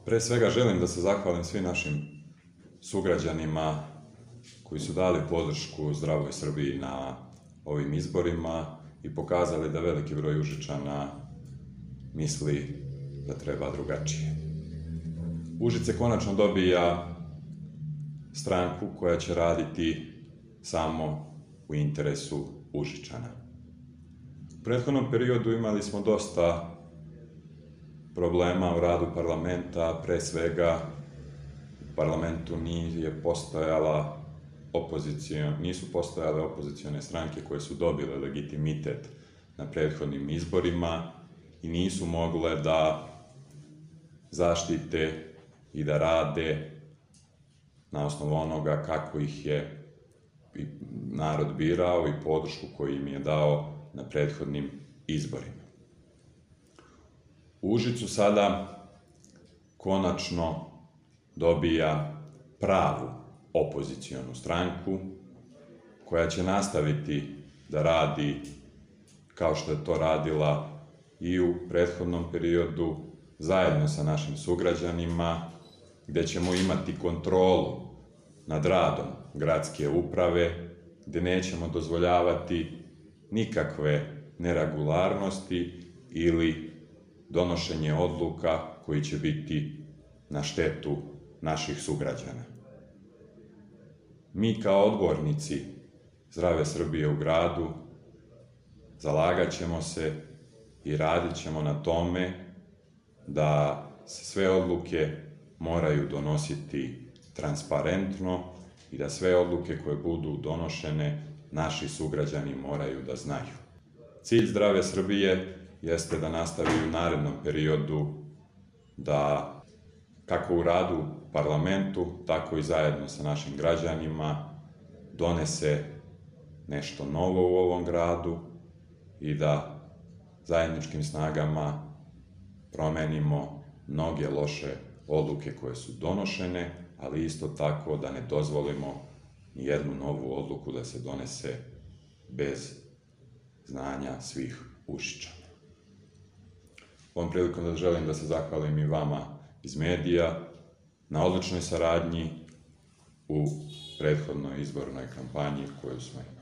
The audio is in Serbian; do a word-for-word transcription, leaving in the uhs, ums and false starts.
Pre svega želim da se zahvalim svim našim sugrađanima koji su dali podršku Zdravoj Srbiji na ovim izborima i pokazali da veliki broj Užičana misli da treba drugačije. Užice konačno dobija stranku koja će raditi samo u interesu Užičana. U prethodnom periodu imali smo dosta problema u radu parlamenta, pre svega u parlamentu nije postojala opozicion, nisu postojale opozicione stranke koje su dobile legitimitet na prethodnim izborima i nisu mogle da zaštite i da rade na osnovu onoga kako ih je narod birao i podršku koju im je dao na prethodnim izborima. U Užicu sada konačno dobija pravu opozicionu stranku koja će nastaviti da radi kao što je to radila i u prethodnom periodu zajedno sa našim sugrađanima, gde ćemo imati kontrolu nad radom gradske uprave, gde nećemo dozvoljavati nikakve neregularnosti ili donošenje odluka koji će biti na štetu naših sugrađana. Mi kao odbornici Zdrave Srbije u gradu zalagat ćemo se i radit ćemo na tome da se sve odluke moraju donositi transparentno i da sve odluke koje budu donošene naši sugrađani moraju da znaju. Cilj Zdrave Srbije jeste da nastavi u narednom periodu da, kako u radu u parlamentu, tako i zajedno sa našim građanima, donese nešto novo u ovom gradu i da zajedničkim snagama promenimo mnoge loše odluke koje su donošene, ali isto tako da ne dozvolimo ni jednu novu odluku da se donese bez znanja svih Užičana. Ovom prilikom da želim da se zahvalim i vama iz medija na odličnoj saradnji u prethodnoj izbornoj kampanji koju smo imali.